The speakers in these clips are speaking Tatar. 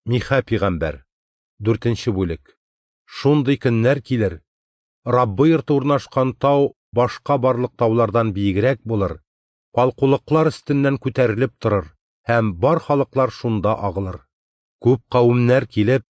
Миха пигамбәр. Дүртенче бүлек. Шундый көннәр килер, Раббы йорты урнашкан тау башка барлык таулардан биегрәк булыр, калкулыклар өстеннән күтәрелеп торыр, һәм бар халыклар шунда агылыр. Күп кавемнәр килеп,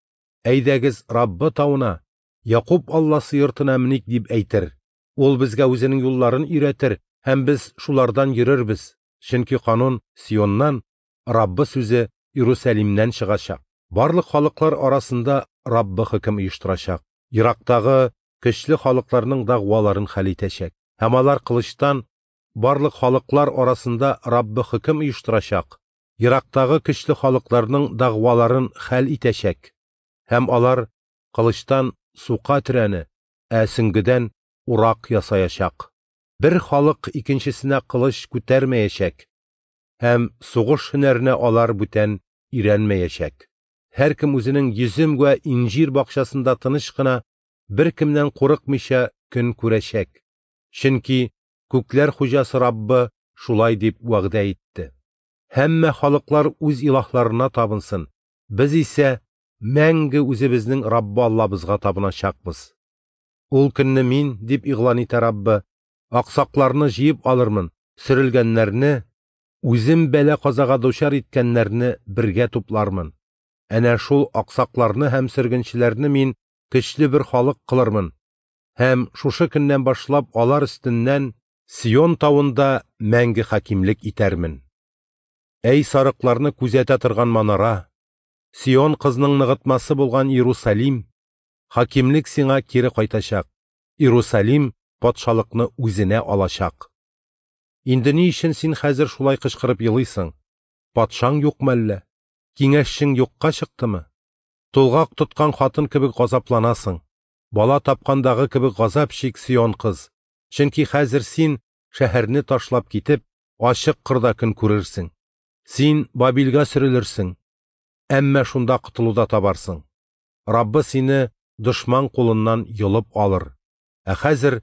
әйдәгез Раббы тавына, Якуб Алласы йортына меник дип әйтер. Ул безгә үзенең юлларын өйрәтер, һәм без шулардан йөрербез. Чөнки канун Сионнан, Раббы сүзе Иерусалимнән чыгачак. Барлык халыклар арасында Раббы хөкем оештырачак. Ерактагы көчле халыкларның дәгъваларын хәл итәчәк. Һәм алар кылычтан барлык халыклар арасында Раббы хөкем оештырачак. Ерактагы көчле халыкларның дәгъваларын хәл итәчәк. Һәм алар кылычтан сука төрәне, ә сөңгедән урак ясаячак. Бер халык икенчесенә кылыч күтәрмәячәк, һәм сугыш һөнәренә алар бүтән өйрәнмәячәк. Һәркем үзенең йөзем вә инҗир бакчасында тыныч кына, беркемнән курыкмыйча көн күрәчәк. Чөнки күкләр хуҗасы Раббы шулай дип вәгъдә итте. Һәммә халыклар үз илаһларына табынсын, без исә мәңге үзебезнең Раббы Аллабызга табыначакбыз. Ул көнне мин, дип игълан итә Раббы, аксакларны җыеп алырмын, сөрелгәннәрне, үзем бәла-казага дучар иткәннәрне бергә туплармын. Әнә шул аксакларны һәм сөргенчеләрне мин көчле бер халык кылырмын. Һәм шушы көннән башлап алар өстеннән Сион тавында мәңге хакимлек итәрмен. Әй сарыкларны күзәтә торган манара, Сион кызның ныгытмасы булган Иерусалим, хакимлек сиңа кире кайтачак. Иерусалим патшалыкны үзенә алачак. Инде ни өчен син хәзер шулай кычкырып елыйсың? Патшаң юкмы әллә? Киңәшчең юкка чыктымы? Тулгак тоткан хатын кебек газапланасың. Бала тапкандагы кебек газап чик, Сион кыз. Чөнки хәзер син шәһәрне ташлап китеп, ачык кырда көн күрерсең. Син Бабилгә сөрелерсең, әмма шунда котылу да табарсың. Раббы сине дошман кулыннан йолып алыр. Ә хәзер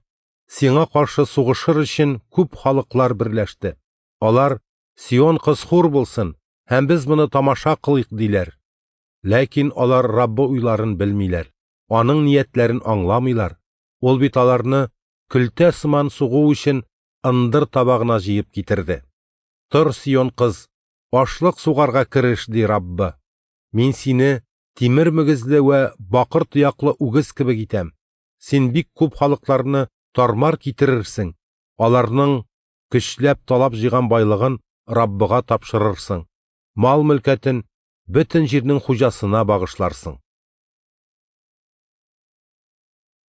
сиңа каршы сугышыр өчен күп халыклар берләште. Алар Сион кыз хур булсын, һәм без моны тамаша кылыйк диләр. Ләкин алар Раббы уйларын белмиләр, аның ниятләрен аңламыйлар. Ул бит аларны көлтә сыман сугу өчен ындыр табагына җыеп китерде. Тор, Сион кыз, ашлык сугарга кереш, ди Раббы. Мин сине тимер мөгезле вә бакыр тояклы үгез кебек итәм. Син бик күп халыкларны тармар китерерсең, аларның көчләп талап җыйган байлыгын Раббыга тапшырырсың. Мал мөлкәтен бөтен җирнең хуҗасына багышларсың.